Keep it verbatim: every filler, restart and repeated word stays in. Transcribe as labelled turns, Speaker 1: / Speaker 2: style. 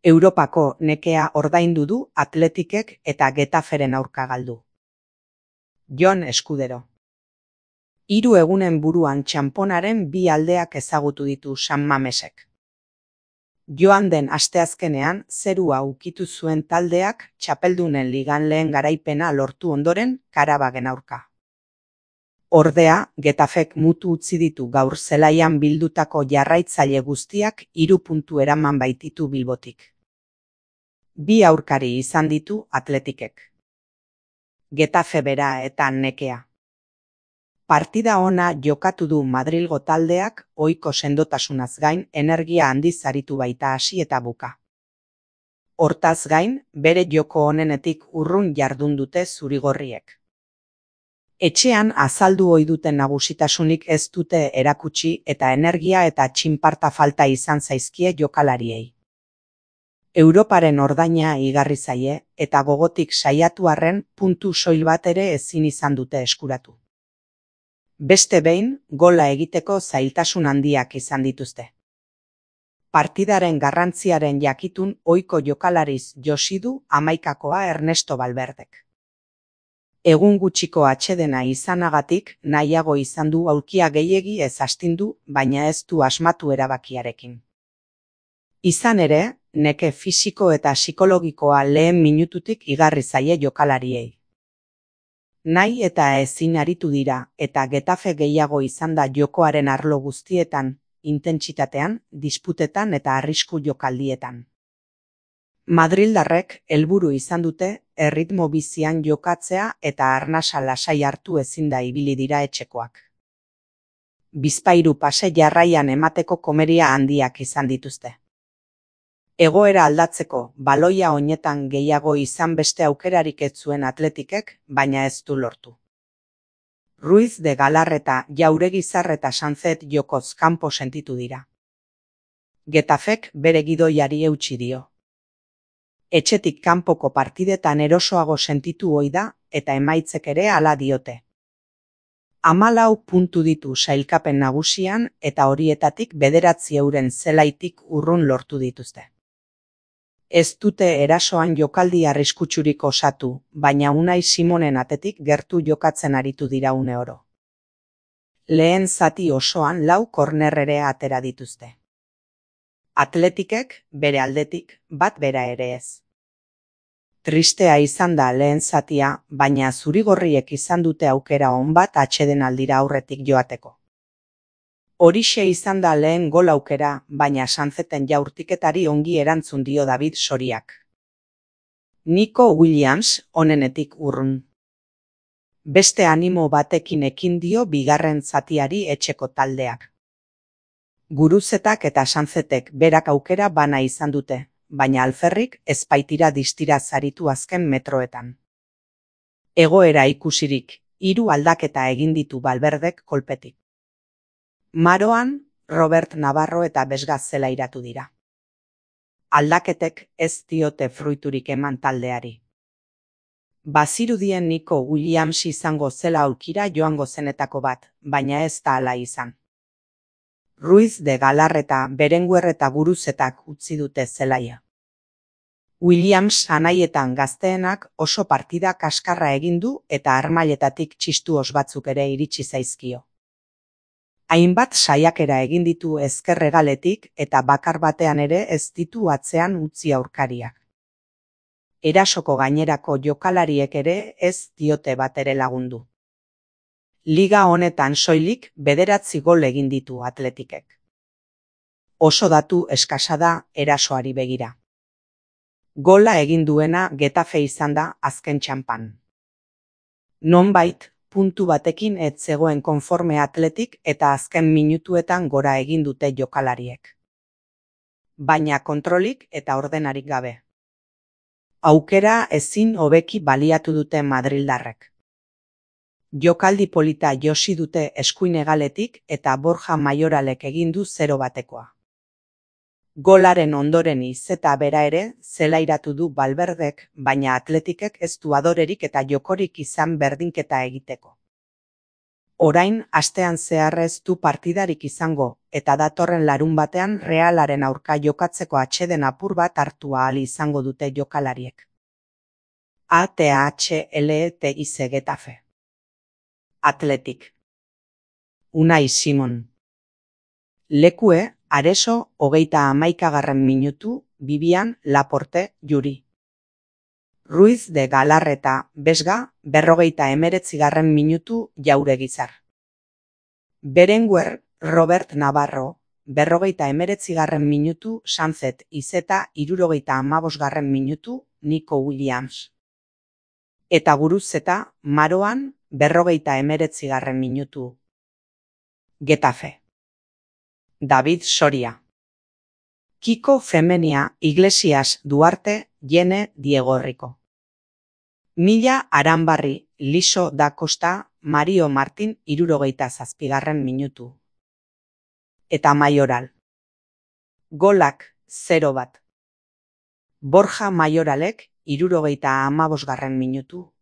Speaker 1: Europako nekea ordaindu du Atletikek eta Getaferen aurka galdu. Jon Eskudero. Hiru egunen buruan txanponaren bi aldeak ezagutu ditu San Mamesek. Joan den asteazkenean zerua ukitu zuen taldeak txapeldunen ligan lehen garaipena lortu ondoren Karabagen aurka. Ordea, Getafek mutu utzi ditu gaur zelaian bildutako jarraitzaile guztiak hiru puntu eraman baititu Bilbotik. Bi aurkari izan ditu Atletikek. Getafe bera eta nekea. Partida ona jokatu du Madrilgo taldeak ohiko sendotasunaz gain energia handiz aritu baita hasi eta buka. Hortaz gain, bere joko onenetik urrun jardun dute zurigorriek. Etxean azaldu ohi duten nagusitasunik ez dute erakutsi eta energia eta txinparta falta izan zaizkie jokalariei. Europaren ordaina igarri zaie eta gogotik saiatu arren puntu soil bat ere ezin izan dute eskuratu. Beste behin, gola egiteko zailtasun handiak izan dituzte. Partidaren garrantziaren jakitun ohiko jokalariz josi du hamaikakoa Ernesto Valverdek. Egun gutxiko atsedena izanagatik nahiago izan du aulkia gehiegi ez astindu, baina ez du asmatu erabakiarekin. Izan ere, neke fisiko eta psikologikoa lehen minututik igarri zaie jokalariei. Nahi eta ezin aritu dira eta Getafe gehiago izan da jokoaren arlo guztietan, intentsitatean, disputetan eta arrisku jokaldietan. Madrildarrek helburu izan dute erritmo bizian jokatzea eta arnasa lasai hartu ezin da ibili dira etxekoak. Bizpahiru pase jarraian emateko komeria handiak izan dituzte. Egoera aldatzeko baloia oinetan gehiago izan beste aukerarik ez zuen Atletikek, baina ez du lortu. Ruiz de Galarreta, Jauregizar eta Sanzet jokoz kanpo sentitu dira. Getafek bere gidoiari eutsi dio. Etxetik kanpoko partidetan erosoago sentitu ohi da eta emaitzek ere hala diote. Hamalau puntu ditu sailkapen nagusian eta horietatik bederatzi euren zelaitik urrun lortu dituzte. Ez dute erasoan jokaldi arriskutsurik osatu, baina Unai Simonen atetik gertu jokatzen aritu dira une oro. Lehen zati osoan lau korner ere atera dituzte. Atletikek, bere aldetik, bat bera ere ez. Tristea izan da lehen zatia, baina zurigorriek izan dute aukera on bat atsedenaldira aurretik joateko. Horixe izan da lehen gol aukera, baina Sanzeten jaurtiketari ongi erantzun dio David Soriak. Nico Williams onenetik urrun. Beste animo batekin ekin dio bigarren zatiari etxeko taldeak. Guruzetak eta Sanzetek berak aukera bana izan dute, baina alferrik ez baitira distira zaritu azken metroetan. Egoera ikusirik, hiru aldaketa egin ditu Valverdek kolpetik. Maroan, Robert Navarro eta Besgaz zelairatu dira. Aldaketek ez diote fruiturik eman taldeari. Bazirudien Nico Williams izango zela aulkira joango zenetako bat, baina ez da hala izan. Ruiz de Galarreta, Berenguer eta Guruzetak utzi dute zelaia. Williams anaietan gazteenak oso partida kaskarra egin du eta armailetatik txistuos batzuk ere iritsi zaizkio. Hainbat saiakera egin ditu ezkerregaletik eta bakar batean ere ez ditu atzean utzi aurkariak. Erasoko gainerako jokalariek ere ez diote batere lagundu. Liga honetan soilik bederatzi gol egin ditu Atletikek. Oso datu eskasa da erasoari begira. Gola egin duena Getafe izan da azken txanpan. Nonbait, puntu batekin ez zegoen konforme Atletik eta azken minutuetan gora egin dute jokalariek. Baina kontrolik eta ordenarik gabe. Aukera ezin hobeki baliatu dute Madrildarrek. Jokaldi polita josi dute eskuin hegaletik eta Borja Maioralek egin du zero batekoa. Golaren ondoren izeta bera ere zelairatu du Valverdek, baina Atletikek ez du adorerik eta jokorik izan berdinketa egiteko. Orain astean zehar ez du partidarik izango eta datorren larunbatean Realaren aurka jokatzeko atseden apur bat hartu ahal izango dute jokalariek. A T H L E T I C Getafe. Athletic. Unai Simon. Lekue, Areso, hogeita hamaikagarren minutu, Bibian, Laporte, Juri. Ruiz de Galarreta, Besga, berrogeita emeretzigarren minutu, Jauregizar. Berenguer, Robert Navarro, berrogeita emeretzigarren minutu, Sanzet Izeta, hirurogeita hamabosgarren minutu, Nico Williams. Eta Guruzeta, Maroan, berrogeita emeretzigarren minutu. Getafe. David Soria. Kiko Femenia, Iglesias Duarte, Jene Diego Rico. Mila Aranbarri, Liso da Costa, Mario Martin, hirurogeita zazpigarren minutu. Eta Mayoral. Golak, zero bat. Borja Mayoralek, hirurogeita hamabosgarren minutu.